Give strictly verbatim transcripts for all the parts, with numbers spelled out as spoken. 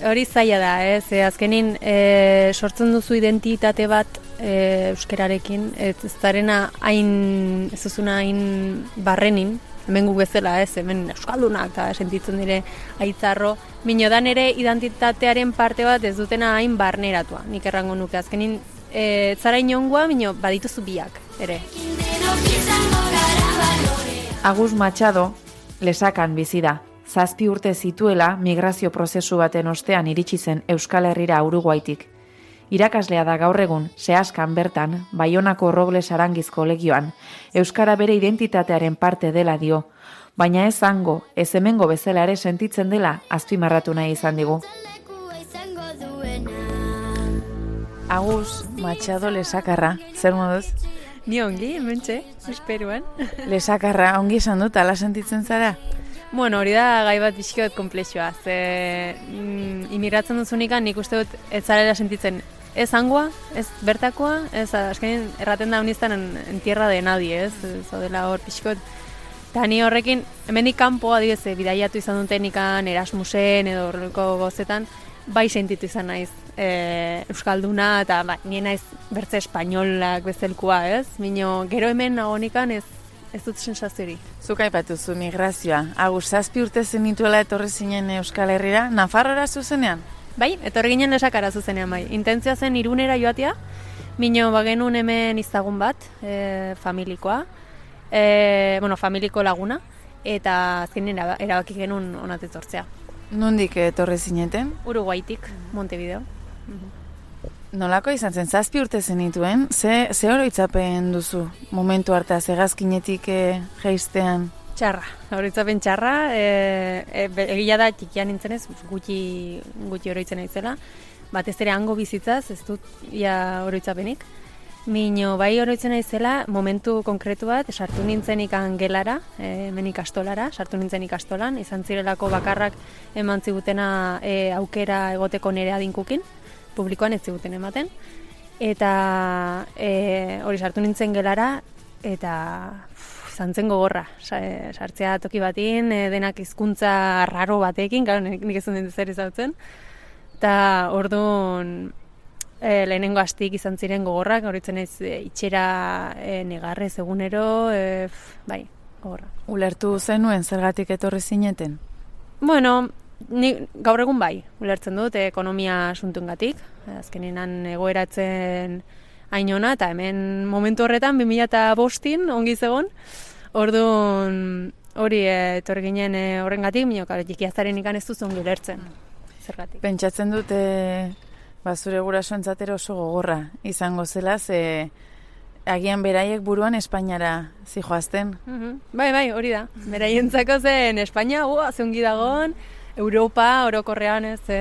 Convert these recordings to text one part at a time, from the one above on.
hori zaila da, ez, e, azkenin e, sortzen duzu identitate bat e, euskerarekin, ez ez darena hain, ez duzuna hain barrenin, hemen gu bezala, ez, hemen euskaldunak, eta sentitzen dire aitzarro, minodan ere identitatearen parte bat ez dutena hain barneratua, nik errango nuke, azkenin e, zara inongoa, mino badituzu biak, ere. Agus Machado, Lesakan bizi da. Zazpi urte zituela migrazio prozesu baten ostean iritsi zen Euskal Herrira Uruguaitik. Irakaslea da gaur egun, Seaskan bertan, Baionako Robles Arangiz kolegioan, euskara bere identitatearen parte dela dio, baina ez hango, ez hemengo bezala ere sentitzen dela azpimarratu nahi izan digu. Agus Machado Lesakarra, zer moduz? Ni ongi, hementxe, esperuan. Lesakarra, ongi esan dut, ala sentitzen zara? Bueno, hori da gai bat pixkiot komplexua. Ze mm, imigratzen duzunikan nik uste dut ez zarela sentitzen ez hangoa, ez bertakoa, ez azkenin erraten da honiztan en, en tierra de nadie, ez? Zaudela hor pixkot. Eta ni horrekin, hemendik kanpo adibidez bidaiatu izan dutenikan Erasmusen edo horreko gozetan, bai sentitu izan naiz e, euskalduna eta ba, nien naiz bertze espainolak bezelkoa, ez? Mino, gero hemen nagonikan ez ez dut sentsazio hori. Zuk aipatuzu migrazioa. Agus, zazpi urte zenituela etorri zinen Euskal Herrira, Nafarroara zuzenean? Bai, etorri ginen Lesakara zuzenean bai. Intentzioa zen Irunera joatea, mino bagenun hemen izagun bat, e, familikoa, e, bueno, familiko laguna, eta azkenean erabaki genuen onat etortzea. Nondik etorri zineten? Uruguaitik, Montevideo. Nolako izan zen, zazpi urte zenituen, ze, ze oroitzapen duzu momentu harta, zegazkinetik e, jeistean? Txarra, oroitzapen txarra, e, e, egia da txikian nintzenez, gutxi, gutxi oroitzen naizela, batez ere hango bizitzaz, ez dut ia oroitzapenik. Mino, bai oroitzen naizela, momentu konkretu bat, sartu nintzen ikan gelara, e, hemen ikastolara, sartu nintzen ikastolan, izan zirelako bakarrak eman zigutena e, aukera egoteko nire adinkukin, publikoan ez ziguten ematen, eta e, hori sartu nintzen gelara, eta izan zen gogorra, sartzea toki batin, e, denak hizkuntza raro batekin, gara, nik ez dut zer izautzen, eta orduan e, lehenengo astik izan ziren gogorrak, horitzen ez e, itxera e, negarrez egunero, e, bai, gogorra. Ulertu zenuen zergatik etorri zineten? Bueno, ni gaur egun bai, ulertzen dut, ekonomia asuntuengatik, azkenean egoeratzen hainona, eta hemen momentu horretan, bi mila bostin ongi zegon, orduan hori etorri ginen horrengatik, minok, jikiaztaren ikan ez duzu ongi ulertzen, zergatik. Pentsatzen dut, e, ba, zure gurasoentzat oso gogorra izango zela, ze agian beraiek buruan Espainiara zijoazten. Uh-huh. Bai, bai, hori da. Beraientzako zen Espainia, ua, zeungi dagoen, Europa, orokorrean ez, e,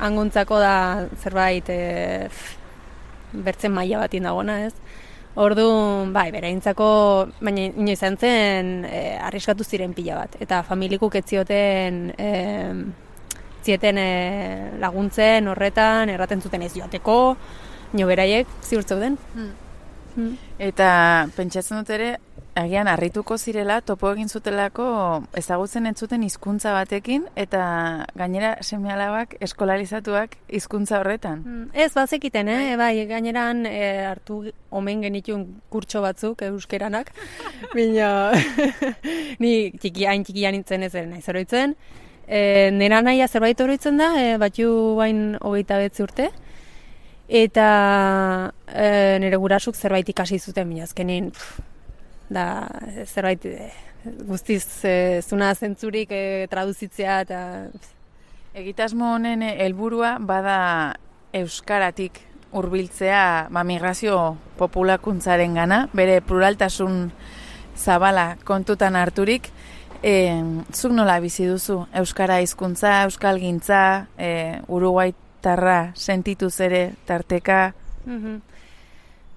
angontzako da zerbait e, bertzen maila batien dagoena, ez. Orduan, bai, beraientzako, baina ino izan zen, e, arriskatu ziren pila bat. Eta familikuk ez zioten, e, zieten e, laguntzen horretan, erraten zuten ez joateko, nio beraiek ziur zeuden. Hmm. Hmm. Eta pentsatzen dut ere, agian harrituko zirela, topo egin zutelako ezagutzen entzuten hizkuntza batekin, eta gainera seme-alabak eskolalizatuak hizkuntza horretan. Mm, ez, bazekiten, eh? Bai, gaineran e, hartu omen genituen kurtso batzuk euskeranak, baina ni txiki, hain txikia nintzen ez ere naiz oroitzen. E, nera nahia zerbait oroitzen da, e, batzu bain hogeita betzi urte, eta e, nire gurasuk zerbait ikasi zuten, baina azkenin, pff, da zerbait e, guztiz e, zuna zentzurik e, traduzitzea eta egitasmo honen helburua bada euskaratik hurbiltzea ba, migrazio populakuntzaren gana, bere pluraltasun zabala kontutan harturik. E, zuk nola bizi duzu euskara hizkuntza, euskalgintza, e, uruguaitarra sentituz ere tarteka? Mhm.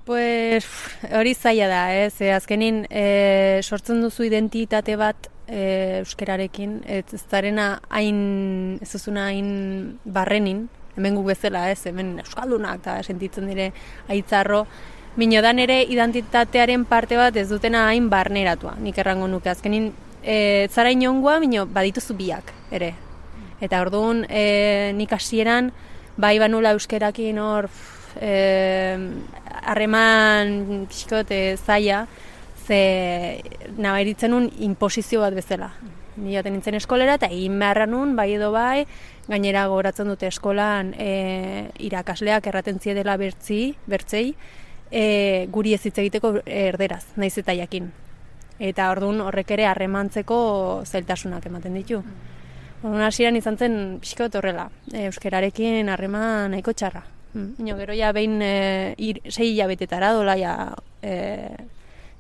Pues hori zaila da, ez, e, azkenin e, sortzen duzu identitate bat e, euskerarekin, ez ez darena hain, ez duzuna hain barrenin, hemen gu bezala, ez, hemen euskaldunak eta sentitzen dire aitzarro, minodan ere identitatearen parte bat ez dutena hain barneratua, nik errango nuke, azkenin e, zara inongoa, mino badituzu biak, ere. Eta orduan, e, nik hasieran bai banula euskerakin hor harreman e, pixkot e, zaila, ze nabaritzen nun inposizio bat bezala. Ni jaten nintzen eskolera eta egin beharra nun, bai edo bai, gainera gogoratzen dute eskolan e, irakasleak erraten ziedela bertzi, bertzei, e, guri ez hitz egiteko erderaz, naiz eta jakin. Eta orduan horrek ere harremantzeko zailtasunak ematen ditu. Orduan hasieran izan zen pixkot horrela, e, euskerarekin harreman nahiko txarra. Ino, gero ja behin e, ir, sei hilabetetara dola ja, e,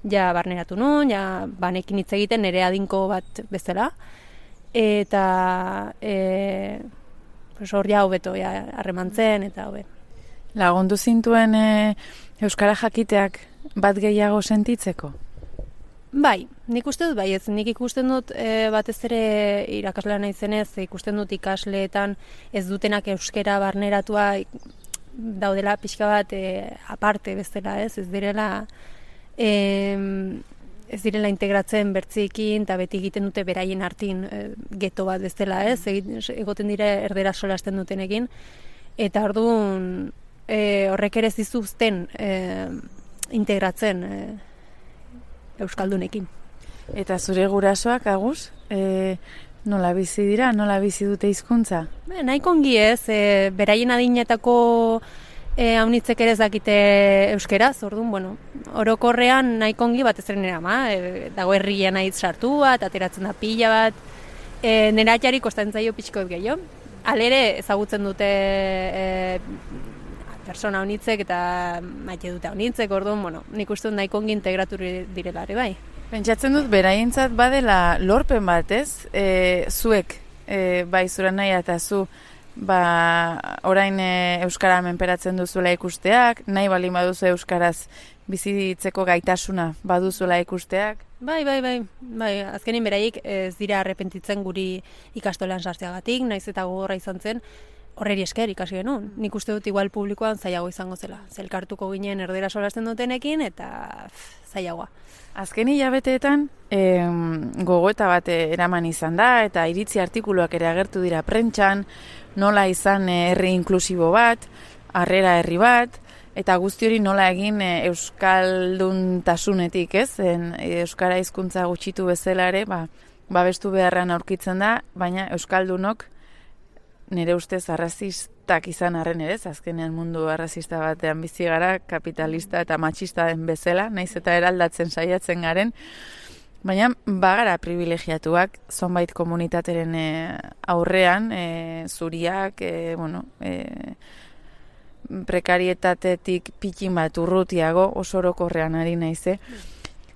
ja barneratu nun, ja banekin hitz egiten nire adinko bat bezala. Eta e, pues hor ja hobeto ja harremantzen eta hobe. Lagundu zintuen e, euskara jakiteak bat gehiago sentitzeko? Bai, nik uste dut bai, ez nik ikusten dut e, batez ere irakaslea naizenez, ikusten dut ikasleetan ez dutenak euskara barneratua daudela pixka bat e, aparte bezala, ez, ez direla e, ez direla integratzen bertziekin eta beti egiten dute beraien artin e, geto bat bezala, ez, egoten dire erdera solasten dutenekin, eta orduan e, horrek ere zizuzten e, integratzen e, euskaldunekin. Eta zure gurasoak, Agus, e, nola bizi dira, nola bizi dute hizkuntza? Be, nahiko ongi ez, e, beraien adinetako e, haunitzek ere ez dakite euskeraz, orduan, bueno, orokorrean nahiko ongi batez ere nera ama, e, dago herria nahi sartua, eta ateratzen da pila bat, e, nera atxari kostatzen zaio pixkoet gehiago. Alere ezagutzen dute e, persona haunitzek eta maite dute haunitzek, orduan, bueno, nik uste dut nahiko ongi integratu direla ere bai. Pentsatzen dut, beraientzat badela lorpen bat, ez? E, zuek, e, bai zura nahi eta zu, ba, orain e, euskara menperatzen duzuela ikusteak, nahi baldin baduzu euskaraz bizitzeko gaitasuna baduzuela ikusteak? Bai, bai, bai, bai, azkenin beraiek ez dira arrepentitzen guri ikastolan sartzeagatik, naiz eta gogorra izan zen, horreri esker ikasi genuen. Nik uste dut igual publikoan zailago izango zela. Zelkartuko ginen erdera solasten dutenekin eta pff, zailagoa. Azken hilabeteetan em, gogoeta bat eraman izan da eta iritzi artikuluak ere agertu dira prentxan, nola izan herri inklusibo bat, harrera herri bat, eta guzti hori nola egin e, euskalduntasunetik, ez? En, euskara hizkuntza gutxitu bezala ere, ba, babestu beharran aurkitzen da, baina euskaldunok nire ustez arrazistak izan arren ere, azkenean mundu arrazista batean bizi gara, kapitalista eta matxista den bezala, naiz eta eraldatzen saiatzen garen, baina bagara privilegiatuak zonbait komunitateren e, aurrean, e, zuriak, e, bueno, e, prekarietatetik pikin bat urrutiago, oso orokorrean ari naize.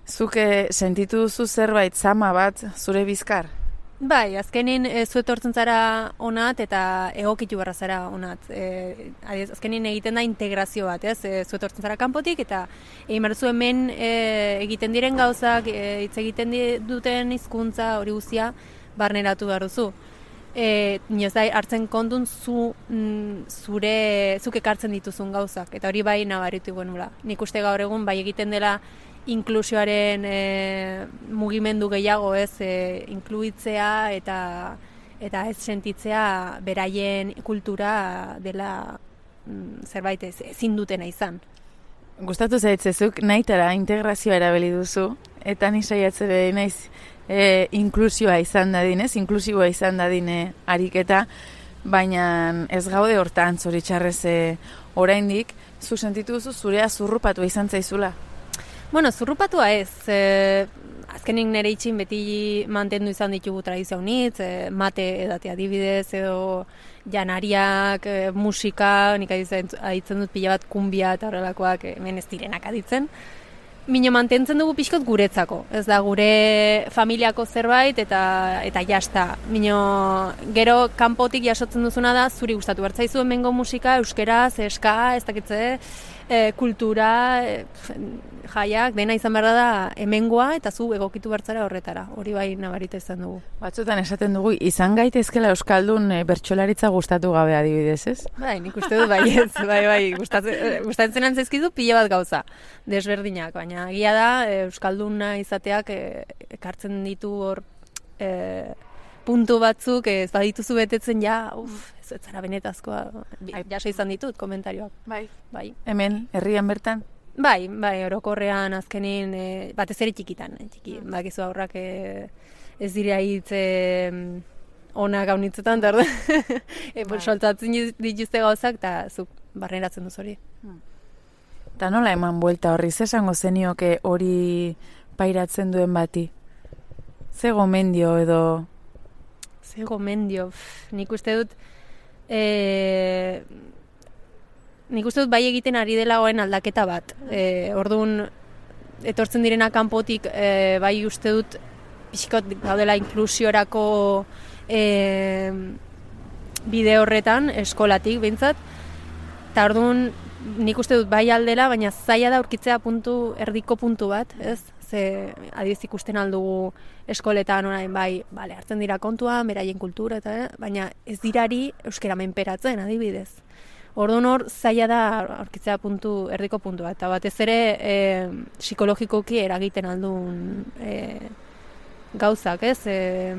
Zuke sentitu duzu zerbait zama bat zure bizkar? Bai, azkenin e, zu etortzen zara onat eta egokitu barra zara onat. E, azkenin egiten da integrazio bat, ez? E, zu etortzen zara kanpotik eta egin behar zu hemen e, egiten diren gauzak, e, hitz egiten duten hizkuntza hori guztia barneratu behar duzu. E, Nioz da, hartzen kontun zu, mm, zure, zuk ekartzen dituzun gauzak, eta hori bai nabaritu genula. Nik uste gaur egun bai egiten dela inklusioaren e, mugimendu gehiago, ez, e, inkluitzea eta eta ez sentitzea beraien kultura dela mm, zerbait ez, ezin dutena izan. Gustatu zaitzezuk nahitara integrazioa erabili duzu, eta ni saiatzere naiz e, inklusioa izan dadin, ez, inklusiboa izan dadin e, ariketa, baina ez gaude hortan zoritxarrez e, oraindik, zu sentitu duzu zurea zurrupatu izan zaizula? Bueno, zurrupatua ez, e, azkenik nire itxin beti mantendu izan ditugu tradizio unitz, e, mate edate adibidez, edo janariak, e, musika, nik aditzen dut pila bat kumbia eta horrelakoak hemen ez direnak aditzen. Mino mantentzen dugu pixkot guretzako, ez da gure familiako zerbait eta eta jasta. Mino gero kanpotik jasotzen duzuna da zuri gustatu bertzaizu hemengo musika, euskeraz, eska, ez dakitze, e, kultura, e, jaiak, dena izan behar da hemengoa eta zu egokitu bertzara horretara. Hori bai nabarita izan dugu. Batzutan esaten dugu, izan gaitezkela euskaldun e, bertsolaritza gustatu gabe adibidez, ez? Bai, nik uste dut bai ez, bai, bai, gustatzen, gustatzen antzaizkizu pila bat gauza, desberdinak, baina egia da, euskalduna izateak e, ekartzen ditu hor e, puntu batzuk ez badituzu betetzen ja, uf, ez ez zara benetazkoa. Jaso izan ditut komentarioak. Bai. Bai. Hemen, herrian bertan? Bai, bai, orokorrean azkenin, e, batez ere txikitan, e, txiki, bakizu aurrak e, ez dira hitz e, ona gaunitzetan, eta orduan, e, bai. Soltatzen dituzte gauzak, eta zuk barneratzen duz hori. Eta nola eman buelta horri, ze esango zenioke hori pairatzen duen bati? Ze gomendio edo... Ze gomendio, pff, nik uste dut... E, nik uste dut bai egiten ari dela goen aldaketa bat. E, orduan, etortzen direna kanpotik, e, bai uste dut pixkot gaudela inklusiorako e, bide horretan, eskolatik behintzat. Eta orduan, nik uste dut bai aldela, baina zaila da aurkitzea puntu, erdiko puntu bat, ez? Ze adiz ikusten aldugu eskoletan orain bai, bale, hartzen dira kontuan, beraien kultura, eta, eh? Baina ez dirari euskera menperatzen, adibidez. Orduan hor, zaila da aurkitzea puntu, erdiko puntua, eta batez ere e, psikologikoki eragiten aldun e, gauzak, ez? E,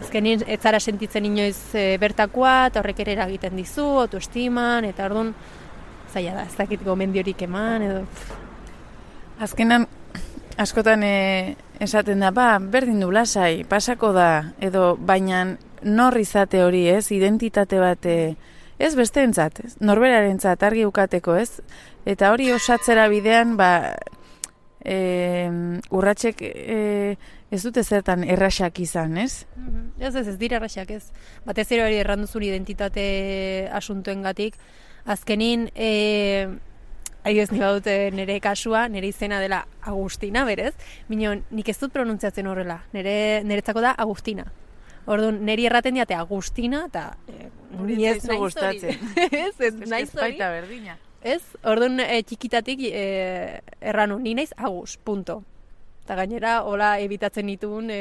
azkenin ez zara sentitzen inoiz e, bertakoa, eta horrek ere eragiten dizu, autoestiman, eta orduan zaila da, ez dakit gomendiorik eman, edo... Azkenan, askotan e, esaten da, ba, berdin du lasai, pasako da, edo baina nor izate hori, ez, identitate bat, e, ez besteentzat, ez, norberarentzat argi ukateko, ez, eta hori osatzera bidean, ba, e, urratsek e, ez dute zertan erraxak izan, ez? Ez, ez, ez dira erraxak, ez. Batez ere hori erranduzun identitate asuntuengatik, azkenin, e, adibidez ni badut nire kasua, nire izena dela Agustina, berez, minon nik ez dut pronuntziatzen horrela, nire niretzako da Agustina. Orduan, niri erraten diate Agustina, eta e, ni ez naiz hori. Ez, ez naiz hori. Berdina. Ez, orduan e, txikitatik e, erranu, ni naiz Agus, punto. Eta gainera, hola ebitatzen ditun e,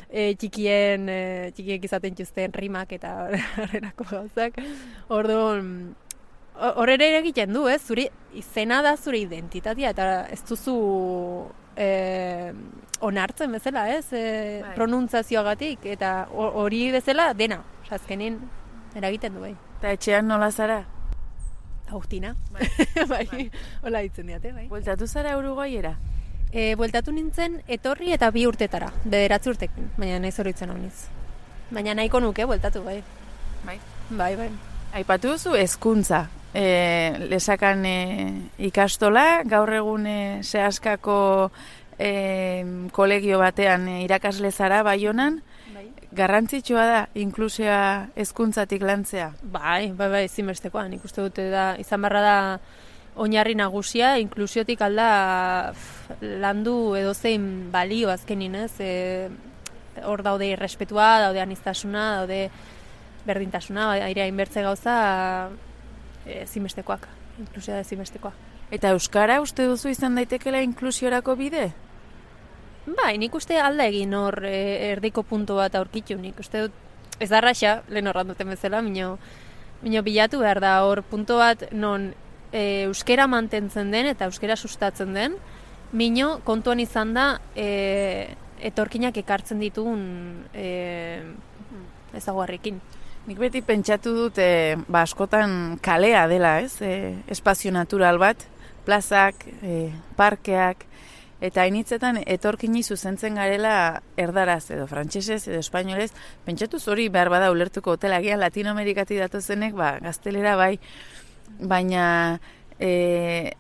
e, txikien, e, txikiek izaten txuzten rimak eta horrelako gauzak. Orduan, horre ere egiten du, ez? Zure izena da zure identitatea, eta ez duzu e, onartzen bezala, ez? E, bai. Pronuntziazioagatik, eta hori bezala dena, azkenin eragiten du, bai. Eta etxean nola zara? Agustina, bai, bai. Hola ditzen diate, bai. Bueltatu zara Uruguaiera? E, bueltatu nintzen etorri eta bi urtetara, bederatzi urtekin, baina nahi zoritzen hau niz. Baina nahiko nuke, bueltatu, bai. Bai? Bai, bai. Aipatu duzu hezkuntza. E, lesakan e, ikastola, gaur egun e, Seaskako e, kolegio batean e, irakasle zara Baionan. Bai. Garrantzitsua da inklusioa hezkuntzatik lantzea. Bai, bai, bai, ezinbestekoa. Nik uste dute da izan barra da oinarri nagusia, inklusiotik alda landu edozein balio azkenin, ez? E, hor daude irrespetua, daude aniztasuna, daude berdintasuna, airea inbertze gauza ezinbestekoak, inklusioa da ezinbestekoa. Eta euskara uste duzu izan daitekela inklusiorako bide? Bai, nik uste alda egin hor e, erdiko puntu bat aurkitu, nik uste dut, ez da raxa, lehen horran duten bezala, mino, mino bilatu behar da hor puntu bat non e, euskera mantentzen den eta euskera sustatzen den, mino kontuan izan da e, etorkinak ekartzen ditugun e, ezaguarrekin. Nik beti pentsatu dut, e, ba, askotan kalea dela, ez? E, espazio natural bat, plazak, e, parkeak, eta hainitzetan etorkini zuzentzen garela erdaraz edo frantsesez edo espainolez, pentsatu hori behar bada ulertuko hotelagian Latinoamerikatik datozenek, ba, gaztelera bai, baina e,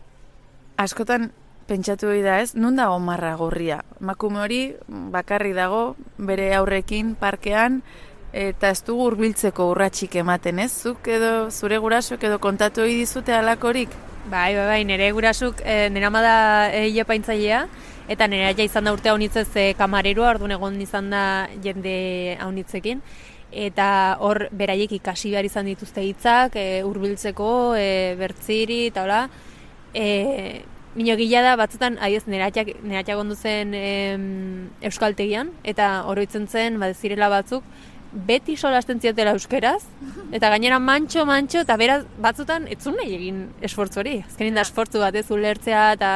askotan pentsatu hori da, ez? Nun dago marra gorria? Emakume hori bakarri dago bere aurrekin parkean, eta ez dugu hurbiltzeko urratsik ematen, ez? Zuk edo zure gurasok edo kontatu hori dizute halakorik? Bai, bai, bai, nire gurasuk, e, nire ama da egia paintzailea, eta nire aia izan da urte haunitzez e, kamareroa, orduan egon izan da jende haunitzekin, eta hor beraiek ikasi behar izan dituzte hitzak, e, hurbiltzeko, e, bertziri, eta hola, e, Mino gila da, batzutan, aiz, nire atxak ondu zen e, euskaltegian, eta oroitzen zen, badezirela batzuk, beti solasten ziotela euskeraz, eta gainera mantxo, mantxo, eta beraz, batzutan, etzun nahi egin esfortzu hori. Azkenin da esfortzu bat ez ulertzea, eta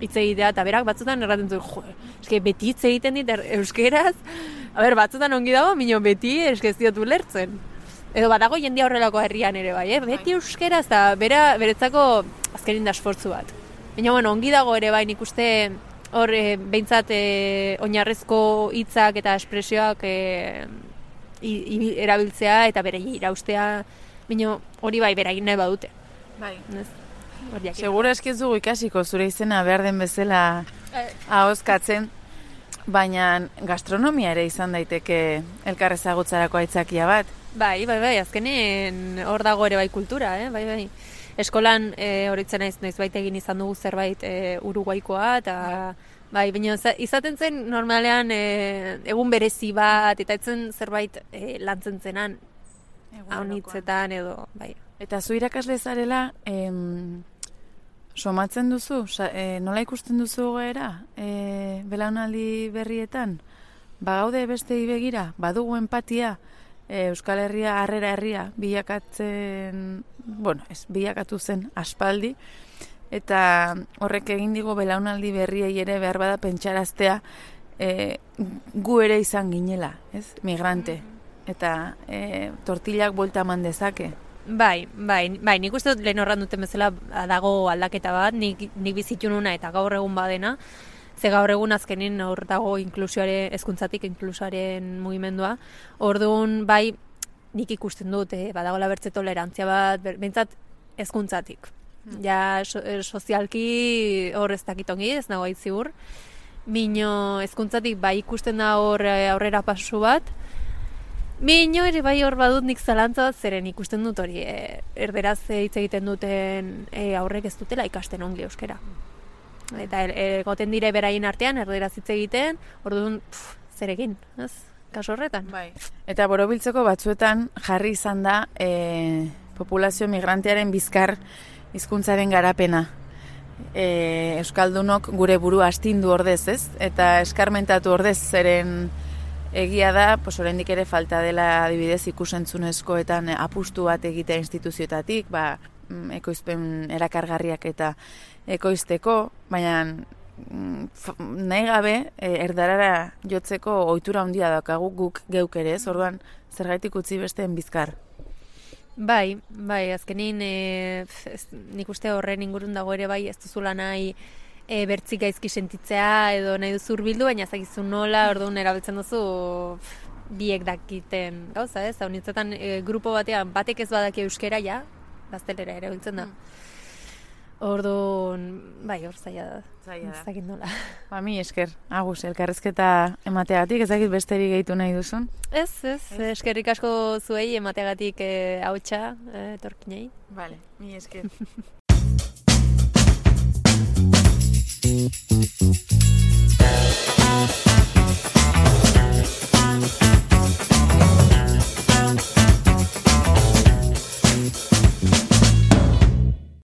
hitz egitea, eta berak batzutan erraten zuen, jo, eske beti hitz egiten dit euskeraz, A ber, batzutan ongi dago, mino beti eskeziotu lertzen. Edo badago jendia horrelako herrian ere bai, eh? Beti euskera, eta bera, beretzako azkenin da esfortzu bat. Baina, bueno, ongi dago ere bai, nik uste hor e, behintzat e, oinarrezko hitzak eta espresioak e, i, i, erabiltzea eta bere iraustea, baina hori bai, bera egin nahi badute. Bai. Ez? Segura eskiz dugu ikasiko zure izena behar den bezala ahozkatzen, baina gastronomia ere izan daiteke elkar ezagutzarako aitzakia bat. Bai, bai, bai, azkenen hor dago ere bai kultura, eh? Bai, bai. Eskolan e, horitzen naiz noizbait egin izan dugu zerbait e, Uruguaikoa, eta bai, baina izaten zen normalean e, egun berezi bat, eta etzen zerbait e, lantzen zenan, haunitzetan edo, bai. Eta zu irakasle zarela, em, somatzen duzu? Sa, e, nola ikusten duzu goera? E, belaunaldi berrietan? Bagaude bestei begira? Badugu empatia? E, Euskal Herria, harrera herria, bilakatzen, bueno, ez, bilakatu zen aspaldi, eta horrek egin digo belaunaldi berriei ere behar bada pentsaraztea e, gu ere izan ginela, ez, migrante, eta e, tortillak buelta eman dezake. Bai, bai, bai, nik uste dut lehen horran duten bezala dago aldaketa bat, nik, nik bizitu nuna eta gaur egun badena, ze gaur egun azkenin hor dago inklusioaren, hezkuntzatik inklusioaren mugimendua. Orduan, bai, nik ikusten dut, eh, badagoela bertze tolerantzia bat, behintzat hezkuntzatik. Hmm. Ja, so, sozialki hor ez dakitongi, ez nago ziur. Mino hezkuntzatik bai ikusten da hor aurrera pasu bat. Mino ere bai hor badut nik zalantza bat, zeren ikusten dut hori, eh, erderaz hitz egiten duten eh, aurrek ez dutela ikasten ongi euskera. Eta egoten dire beraien artean, erderaz hitz egiten, orduan, pff, zer egin, ez? Kaso horretan. Bai. Eta borobiltzeko batzuetan jarri izan da e, populazio migrantearen bizkar hizkuntzaren garapena. E, Euskaldunok gure burua astindu ordez, ez? Eta eskarmentatu ordez, zeren egia da, pues oraindik ere falta dela adibidez ikusentzunezkoetan apustu bat egitea instituzioetatik, ba, ekoizpen erakargarriak eta ekoizteko, baina nahi gabe erdarara jotzeko ohitura handia daukagu guk geuk ere, ez? Orduan zergaitik utzi besteen bizkar. Bai, bai, azkenin e, ez, nik uste horren ingurun dago ere bai ez duzula nahi e, bertzik gaizki sentitzea edo nahi duzu hurbildu, baina zakizu nola, orduan erabiltzen duzu pff, biek dakiten gauza, ez? Hau nintzetan e, grupo batean batek ez badaki euskera ja, gaztelera ere biltzen da. Mm. Orduan, bai, hor zaila da. Zaila da. Ez dakit nola. Ba, mi esker, agus, elkarrezketa emateagatik, ez dakit besterik gehitu nahi duzun? Ez, ez, ez. Eskerrik asko zuei emateagatik eh, hautsa, eh, etorkinei. Vale, mi esker.